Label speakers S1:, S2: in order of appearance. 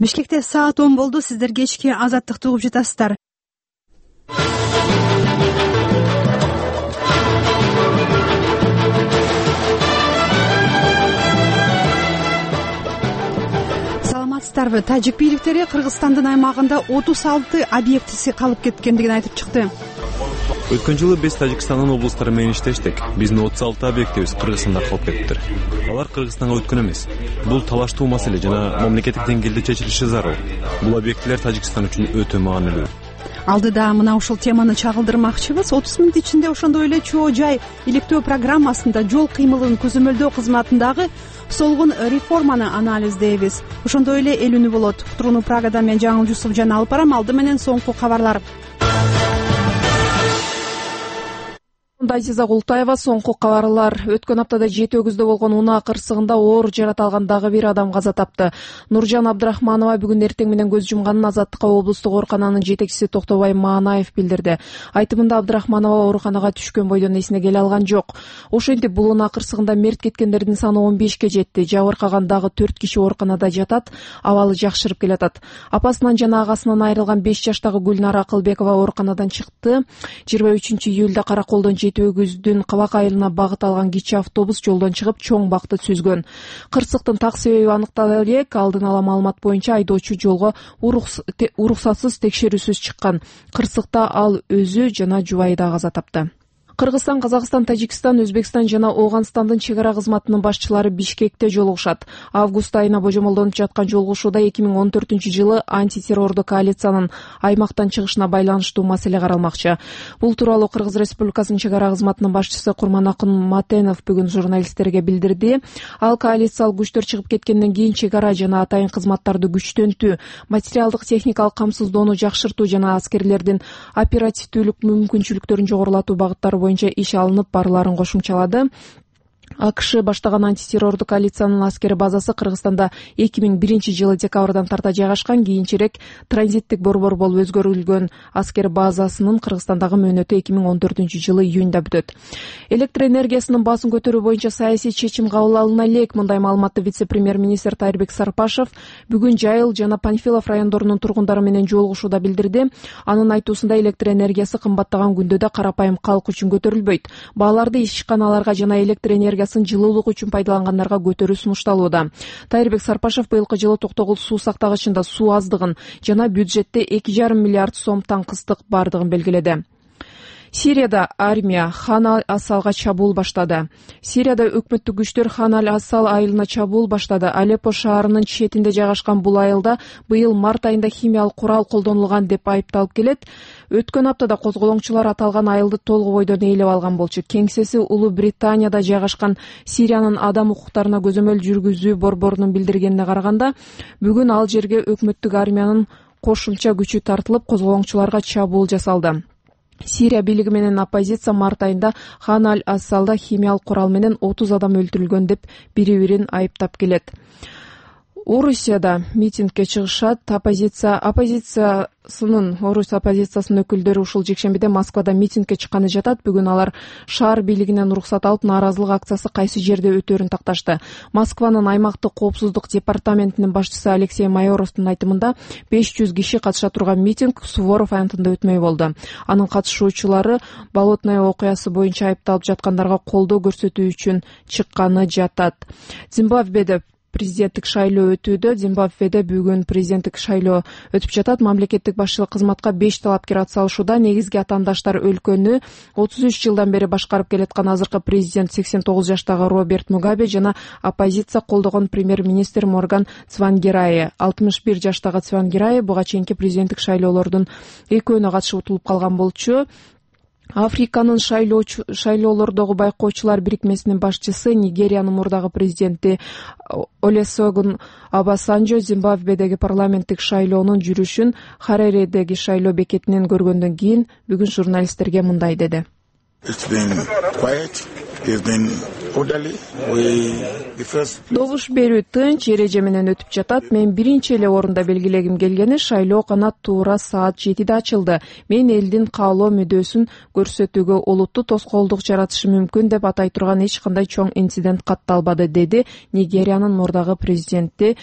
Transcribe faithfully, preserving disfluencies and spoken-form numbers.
S1: Бишкекте саат он болду. Сиздер кечки Азаттыкты угуп жатасыздар. Саламатсыздарбы? Тажик бийликтери Кыргызстандын аймагында отуз алты объектиси калып кеткендигин айтып чыкты.
S2: Өткөн жылы биз Тажикстандын облустары менен иштештик. Биздин отуз алты объектибиз Кыргызстанда калып кетиптир. Алар Кыргызстанга өткөн эмес. Бул талаштуу маселе жана мамлекеттик деңгээлде чечилиши зарыл. Бул объектилер Тажикстан үчүн өтө маанилүү.
S1: Алдыда мына ушул теманы чагылдырмакчыбыз. отуз мүнөт ичинде ошондой эле чоо жай иликтөө программасында жол кыймылын көзөмөлдөө кызматындагы солгун реформаны анализдейбиз. Ошондой эле эл үнү болот. Турууну Прагадан мен Жаңыл Жусуп жана алып барам. Алды менен соңку кабарлар.
S3: Азиза Култаева, соңку кабарлар. Өткөн аптада жети өгүздө болгон унаа кырсыгында оор жарата алган дагы бир адам каза тапты. Нуржан Абдрахманова бүгүн эртең менен көз жумганын Азаттыкка облустук оорукананын жетекчиси Токтобай Маанаев билдирди. Айтымында Абдрахманова ооруканага түшкөн бойдон эсине келе алган жок. Ошентип бул унаа кырсыгында мерт кеткендердин саны он бешке жетти. Жабыркаган дагы төрт киши ооруканада жатат, абалы жакшырып келатат. Апасынан жана агасынан айрылган беш жаштагы Гүлнара Акылбекова ооруканадан чыкты. жыйырма үчүнчү июлда Караколдон өгүздүн Кабак айылына багыт алган кичи автобус жолдон чыгып чоң бакты сүзгөн. Кырсыктын так себеби аныктала элек. Алдын ала маалымат боюнча айдоочу жолго уруксатсыз текшерүүсүз чыккан. Кырсыкта ал өзү жана жубайы да каза тапты. Кыргызстан, Казакстан, Тажикстан, Өзбекстан жана Ооганстандын чек ара кызматынын башчылары Бишкекте жолугушат. Август айына божомолдонуп жаткан жолугушууда эки миң он төртүнчү жылы антитеррордук коалициянын аймактан чыгышына байланыштуу маселе каралмакчы. Бул тууралуу Кыргыз Республикасынын чек ара кызматынын башчысы Курманакын Матенов бүгүн журналисттерге билдирди. Ал коалициялык күчтөр чыгып кеткенден кийин чек ара жана атайын кызматтарды күчтөнтүү, материалдык техникалык камсыздоону жакшыртуу жана аскерлердин оперативдүүлүк мүмкүнчүлүктөрүн жогорулатуу багыттары боюнча иш алынып барларын кошумчалады. АКШ баштаган антитеррордук коалициянын аскери базасы Кыргызстанда эки миң биринчи жылы декабрдан тарта жайгашкан. Кийинчерээк транзиттик борбор болуп өзгөрүлгөн аскер базасынын Кыргызстандагы мөөнөтү эки миң он төртүнчү жылы июнда бүтөт. Электр энергиясынын баасын көтөрүү боюнча саясий чечим кабыл алына элек. Мындай маалыматты вице-премьер-министр Тайырбек Сарпашев бүгүн Жайыл жана Панфилов райондорунун тургундары менен жолугушууда билдирди. Анын айтуусунда электр энергиясы кымбаттаган күндө да карапайым калк үчүн көтөрүлбөйт. Бааларды ишканаларга жана электр энергиясы жылуулук үчүн пайдалангандарга көтөрүү сунушталууда. Тайырбек Сарпашев быйылкы жылы Токтогул суу сактагычында суу аздыгын жана бюджетте эки жарым миллиард сом таңкыстык бардыгын белгиледи. Сирияда армия Хан аль-Асалга чабуул баштады. Сирияда өкмөттүк күчтөр Хан аль-Асал айылына чабуул баштады. Алеппо шаарынын четинде жайгашкан бул айылда быйыл март айында химиялык курал колдонулган деп айыпталып келет. Өткөн аптада козголоңчулар аталган айылды толугу бойдон ээлеп алган болчу. Кеңсеси Улуу Британияда жайгашкан Сириянын адам укуктарына көзөмөл жүргүзүү борборунун билдиргенине караганда, бүгүн ал жерге өкмөттүк армиянын кошумча күчү тартылып, козголоңчуларга чабуул жасалды. Сирия бийлиги менен оппозиция март айында Хан аль-Асалда химиялык курал менен отуз адам өлтүрүлгөн деп бири-бирин айыптап келет. Орусияда митингге чыгышат. Оппозиция оппозициясынын Орус оппозициясынын өкүлдөрү ушул жекшембиде Москвада митингге чыкканы жатат. Бүгүн алар шаар бийлигинен уруксат алып, нааразылык акциясы кайсы жерде өтөөрүн такташты. Москванын аймактык коопсуздук департаментинин башчысы Алексей Майоровдун айтымында беш жүз киши катыша турган митинг Суворов аянтында өтмөй болду. Анын катышуучулары Болотное окуясы боюнча айыпталып жаткандарга колдоо көрсөтүү үчүн чыкканы жатат. Зимбабведе президенттик шайлоо өтүүдө. Зимбабведе бүгүн президенттик шайлоо өтүп жатат. Мамлекеттик башчылык кызматка беш талапкер атсалышууда. Негизги атаандаштар өлкөнү отуз үч жылдан бери башкарып келаткан азыркы президент сексен тогуз жаштагы Роберт Мугабе жана оппозиция колдогон премьер-министр Морган Цвангирае. алтымыш бир жаштагы Цвангирае буга чейинки президенттик шайлоолордун экөөнө катышып утулуп калган болчу. Африканын шайлоолордогу байкоочулар бирикмесинин башчысы, Нигериянын мурдагы президенти Олесогун Обасанжо Зимбабведеги парламенттик шайлоонун жүрүшүн Харередеги шайлоо бекетинен көргөндөн кийин бүгүн журналисттерге мындай деди. Добуш берүү тынч эреже менен өтүп жатат. Мен биринчи эле орунда белгилегим келгени шайлоо канат туура саат жетиде ачылды. Мен элдин каалоо мүдөөсүн көрсөтүүгө олуттуу тоскоолдук жаратышы мүмкүн деп атай турган эч кандай чоң инцидент катталбады, деди Нигериянын мурдагы президенти